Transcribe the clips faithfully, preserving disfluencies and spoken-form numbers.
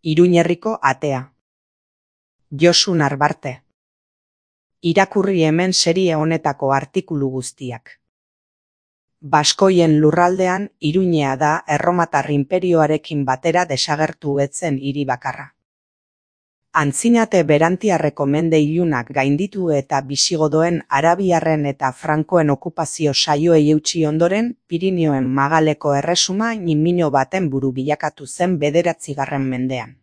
Iruñerriko atea. Josu Narbarte. Irakurri hemen serie honetako artikulu guztiak. Baskoien lurraldean Iruñea da Erromatar inperioarekin batera desagertu etzen hiri bakarra. Antzinate Berantiarreko mende ilunak gainditu eta bisigodoen, arabiarren eta frankoen okupazio saioei eutsi ondoren, Pirinioen magaleko erresuma ñimino baten buru bilakatu zen bederatzigarren mendean.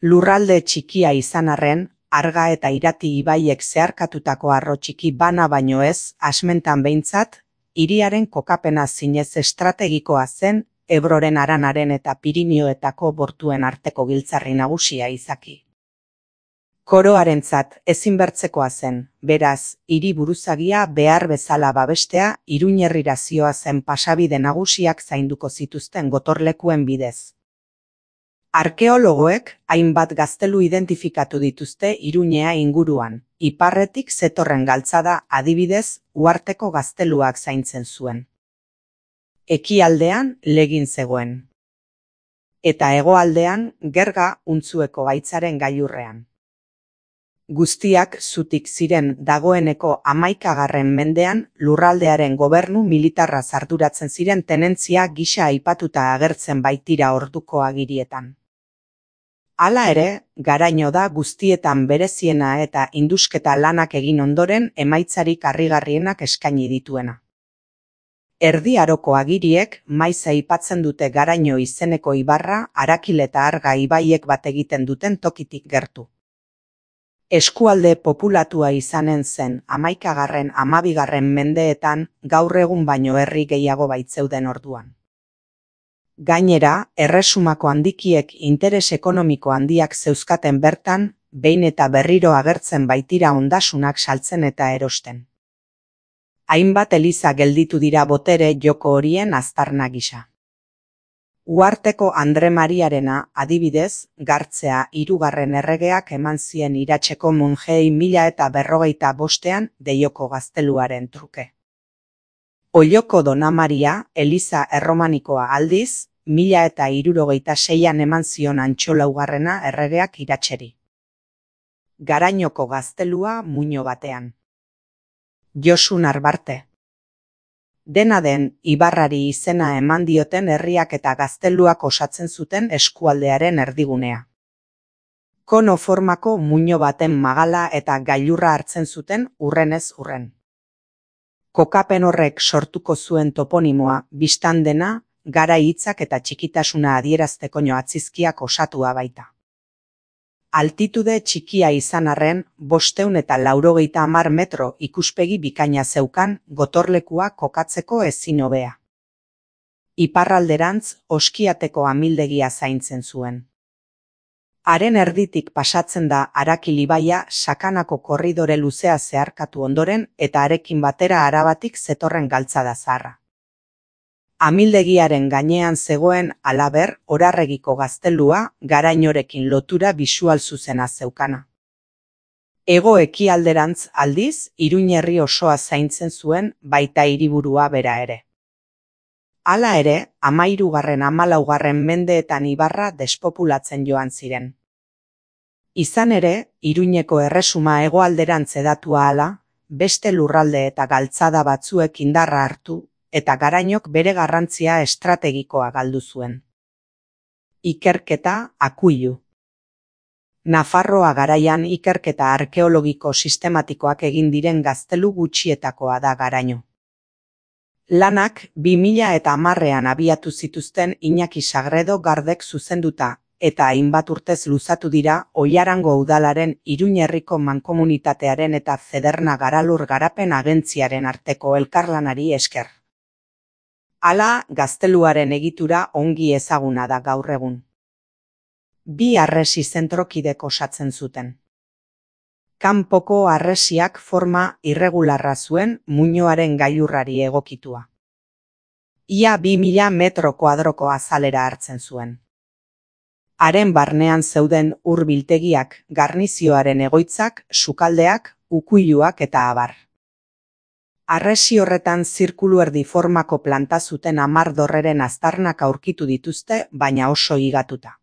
Lurralde txikia izan arren, Arga eta Irati ibaiek zeharkatutako arro txiki bana baino ez, asmentan behintzat, hiriaren kokapena zinez estrategikoa zen, Ebroren Aranaren eta Pirinioetako bortuen arteko giltzarri nagusia izaki. Koroarentzat ezinbertzekoa zen, beraz, hiri buruzagia behar bezala babestea Iruñerrira zihoazen pasabide nagusiak zainduko zituzten gotorlekuen bidez. Arkeologoek hainbat gaztelu identifikatu dituzte Iruñea inguruan, iparretik zetorren galtzada adibidez, uharteko gazteluak zaintzen zuen. Ekialdean legin zegoen. Eta hegoaldean Gerga Untzueko gaitzaren gailurrean. Guztiak zutik ziren dagoeneko hamaikagarren mendean lurraldearen gobernu militarra arduratzen ziren tenentzia gisa aipatuta agertzen baitira orduko agirietan. Hala ere, garaino da guztietan bereziena eta indusketa lanak egin ondoren emaitzarik harrigarrienak eskaini dituena. Erdi Aroko agiriek maiz aipatzen dute Garaino izeneko ibarra Arakil eta Arga ibaiek bat egiten duten tokitik gertu. Eskualde populatua izanen zen hamaikagarren hamabigarren mendeetan gaur egun baino herri gehiago baitzeuden orduan. Gainera, erresumako handikiek interes ekonomiko handiak zeuzkaten bertan, behin eta berriro agertzen baitira ondasunak saltzen eta erosten. Hainbat eliza gelditu dira botere joko horien aztarna gisa. Uharteko Andre Mariarena, adibidez, Gartzea hirugarren erregeak eman zien iratseko monjei mila eta berrogeita bostean Deioko gazteluaren truke. Olloko Dona Maria, eliza erromanikoa aldiz, mila eta hirurogeita seian eman zion Antxolaugarrena erregeak iratseri. Garainoko gaztelua muino batean. Josu Narbarte. Dena den, ibarrari izena eman dioten herriak eta gazteluak osatzen zuten eskualdearen erdigunea. Kono formako muino baten magala eta gailurra hartzen zuten urrenez urren. Kokapen horrek sortuko zuen toponimoa, bistan dena, gara hitzak eta txikitasuna adierazteko atzizkiak osatua baita. Altitude txikia izan arren, bosteun eta laurogeita hamar metro ikuspegi bikaina zeukan gotorlekua kokatzeko ezin hobea. Iparralderantz Oskiateko amildegia zaintzen zuen. Haren erditik pasatzen da Arakil ibaia sakanako korridore luzea zeharkatu ondoren eta harekin batera Arabatik zetorren galtzada zaharra. Amildegiaren gainean zegoen halaber Orarregiko gaztelua Garainorekin lotura bisual zuzena zeukana. Hego ekialderantz aldiz Iruñerri osoa zaintzen zuen baita hiriburua bera ere. Hala ere, hamahirugarren hamalaugarren mendeetan ibarra despopulatzen joan ziren. Izan ere, Iruñeko erresuma hegoalderantz edatua ahala, beste lurralde eta galtzada batzuek indarra hartu, eta Garainok bere garrantzia estrategikoa galdu zuen. Ikerketa Akuilu. Nafarroa garaian ikerketa arkeologiko sistematikoak egin diren gaztelu gutxietakoa da Garaino. Lanak bi mila eta hamarrean abiatu zituzten Iñaki Sagredo Gardek zuzenduta, eta hainbat urtez luzatu dira Oiarango udalaren Iruñerriko mankomunitatearen eta Zederna Garalur Garapen Agentziaren arteko elkarlanari esker. Hala, gazteluaren egitura ongi ezaguna da gaur egun. Bi harresi zentrokidek osatzen zuten. Kanpoko harresiak forma irregularra zuen muinoaren gailurrari egokitua. Ia bi mila metro kuadroko azalera hartzen zuen. Haren barnean zeuden ur biltegiak, garnizioaren egoitzak, sukaldeak, ukuiluak eta abar. Harresi horretan zirkulu erdi formako planta zuten hamar dorreren aztarnak aurkitu dituzte, baina oso higatuta.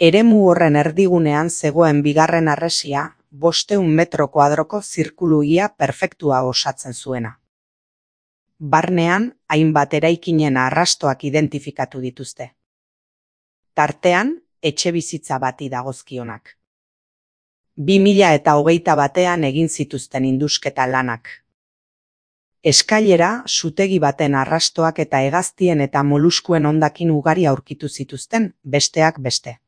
Eremu horren erdigunean zegoen bigarren harresia, bosteun metro kuadroko zirkulu ia perfektua osatzen zuena. Barnean, hainbat eraikinen arrastoak identifikatu dituzte. Tartean, etxebizitza bati dagozkionak. Bi mila eta hogeita batean egin zituzten indusketa lanak. Eskailera, sutegi baten arrastoak eta hegaztien eta moluskuen hondakin ugari aurkitu zituzten, besteak beste.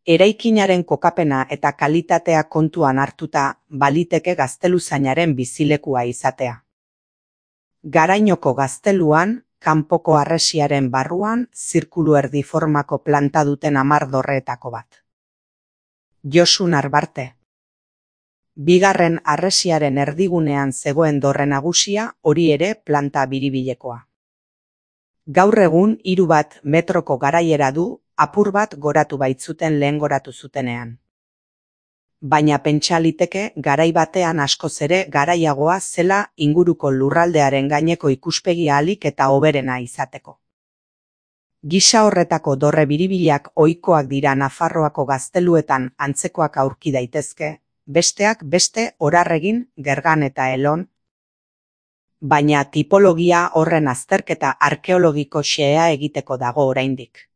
Eraikinaren kokapena eta kalitatea kontuan hartuta, baliteke gazteluzainaren bizilekua izatea. Garainoko gazteluan, kanpoko harresiaren barruan, zirkulu erdi formako planta duten hamar dorreetako bat. Josu Narbarte. Bigarren harresiaren erdigunean zegoen dorre nagusia, hori ere planta biribilekoa. Gaur egun hiru bat metroko garaiera du, apur bat goratu baitzuten lehen goratu zutenean. Baina pentsa liteke garai batean askoz ere garaiagoa zela inguruko lurraldearen gaineko ikuspegi ahalik eta hoberena izateko. Gisa horretako dorre biribilak ohikoak dira Nafarroako gazteluetan antzekoak aurki daitezke, besteak beste Orarregin, Gergan eta Elon, baina tipologia horren azterketa arkeologiko xehea egiteko dago oraindik.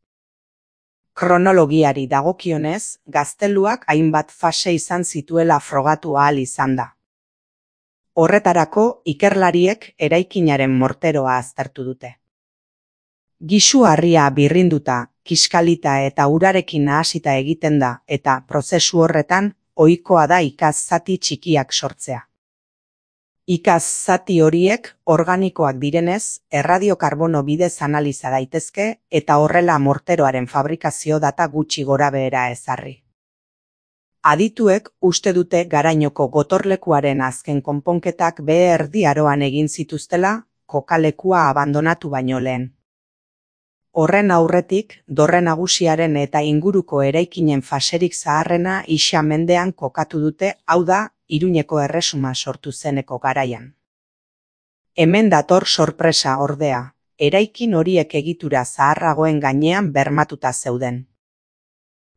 Kronologiari dagokionez, gazteluak hainbat fase izan zituela frogatu ahal izan da. Horretarako, ikerlariek eraikinaren morteroa aztertu dute. Gisu harria birrinduta, kiskalita eta urarekin nahasita egiten da, eta prozesu horretan, ohikoa da ikaz zati txikiak sortzea. Ikaz zati horiek organikoak direnez, erradiokarbono bidez analiza daitezke eta horrela morteroaren fabrikazio data gutxi gorabehera ezarri. Adituek uste dute garainoko gotorlekuaren azken konponketak behe erdi aroan egin zituztela, kokalekua abandonatu baino lehen. Horren aurretik, dorre nagusiaren eta inguruko eraikinen faserik zaharrena Ixa mendean kokatu dute, hau da, Iruñeko erresuma sortu zeneko garaian. Hemen dator sorpresa ordea, eraikin horiek egitura zaharragoen gainean bermatuta zeuden.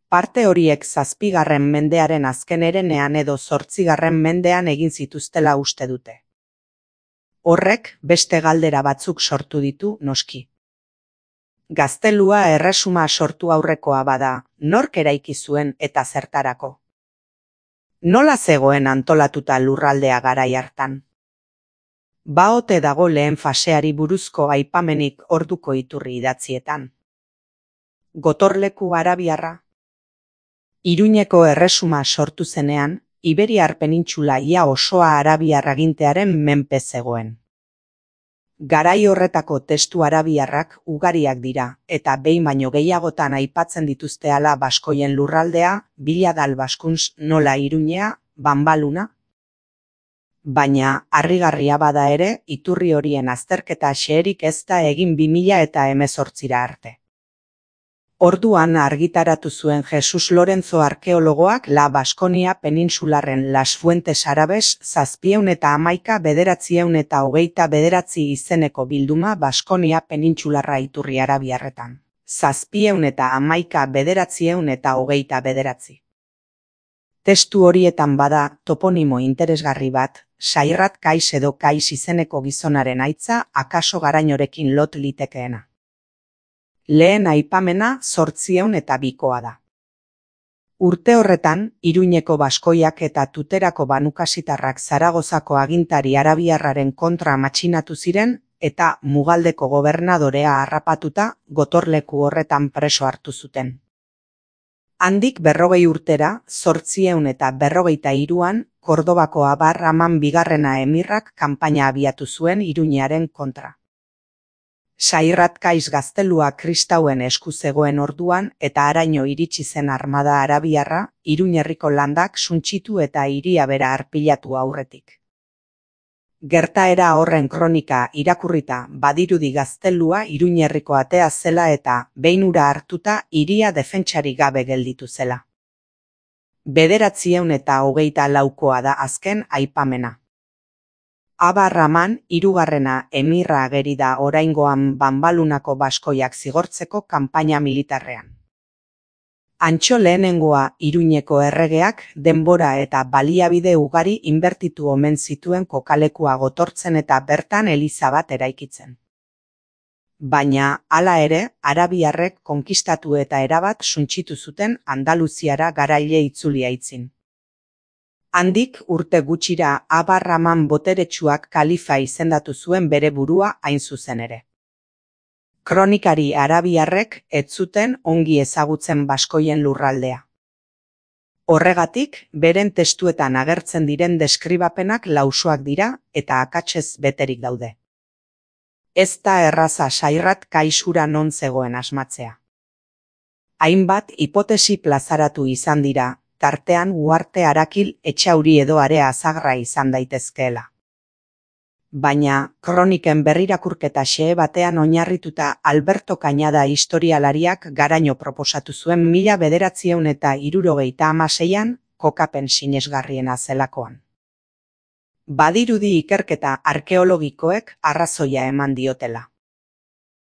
Parte horiek zazpigarren mendearen azken herenean edo zortzigarren mendean egin zituztela uste dute. Horrek beste galdera batzuk sortu ditu noski. Gaztelua erresuma sortu aurrekoa bada, nork eraiki zuen eta zertarako? Nola zegoen antolatuta lurraldea garai hartan? Ba ote dago lehen faseari buruzko aipamenik orduko iturri idatzietan. Gotorleku arabiarra. Iruñeko erresuma sortu zenean, Iberiar penintxula ia osoa arabiar agintearen menpe zegoen. Garai horretako testu arabiarrak ugariak dira, eta behin baino gehiagotan aipatzen dituzte hala baskoien lurraldea, Biladal Baskuntz nola Iruñea, Banbaluna. Baina, harrigarria bada ere, iturri horien azterketa xeherik ez da egin bi mila eta hemezortzira arte. Orduan argitaratu zuen Jesus Lorenzo arkeologoak La Baskonia penintsularren Las Fuentes Arabes zazpieun eta hamaika bederatzieun eta hogeita bederatzi izeneko bilduma Baskonia penintsularra iturri arabiarretan. Zazpieun eta hamaika bederatzieun eta hogeita bederatzi. Testu horietan bada toponimo interesgarri bat, Sairrat Kais edo Kais izeneko gizonaren aitza akaso Garainorekin lot litekeena. Lehen aipamena zortzieun eta bikoa da. Urte horretan, Iruñeko baskoiak eta Tuterako banukasitarrak Zaragozako agintari arabiarraren kontra matxinatu ziren eta Mugaldeko gobernadorea harrapatuta gotorleku horretan preso hartu zuten. Handik berrogei urtera, zortzieun eta berrogeita hiruan, Kordobako Abar Aman bigarrena emirrak kanpaina abiatu zuen Iruñearen kontra. Sairrat Kais gaztelua kristauen esku zegoen orduan eta haraino iritsi zen armada arabiarra, Iruñerriko landak suntsitu eta hiria bera arpilatu aurretik. Gertaera horren kronika irakurrita badirudi gaztelua Iruñerriko atea zela eta, behin ura hartuta, hiria defentsari gabe gelditu zela. Bederatzieun eta hogeita laukoa da azken aipamena. Abar Aman hirugarrena emirra ageri da oraingoan Banbalunako baskoiak zigortzeko kanpaina militarrean. Antxo lehenengoa Iruñeko erregeak denbora eta baliabide ugari inbertitu omen zituen kokalekua gotortzen eta bertan eliza bat eraikitzen. Baina, hala ere, arabiarrek konkistatu eta erabat suntsitu zuten Andaluziara garaile itzulia itzin. Handik urte gutxira Abar-Rahman boteretsuak kalifa izendatu zuen bere burua hain zuzen ere. Kronikari arabiarrek ez zuten ongi ezagutzen baskoien lurraldea. Horregatik, beren testuetan agertzen diren deskribapenak lausoak dira eta akatsez beterik daude. Ez da erraza Sairrat kaisura non zegoen asmatzea. Hainbat hipotesi plazaratu izan dira, tartean Uharte Arakil Etxauri edo Area Azagra izan daitezkeela. Baina, kroniken berrirakurketa xehe batean oinarrituta Alberto Cañada historialariak garaino proposatu zuen mila bederatziehun eta hirurogeita hamaseian kokapen sinesgarriena zelakoan. Badirudi ikerketa arkeologikoek arrazoia eman diotela.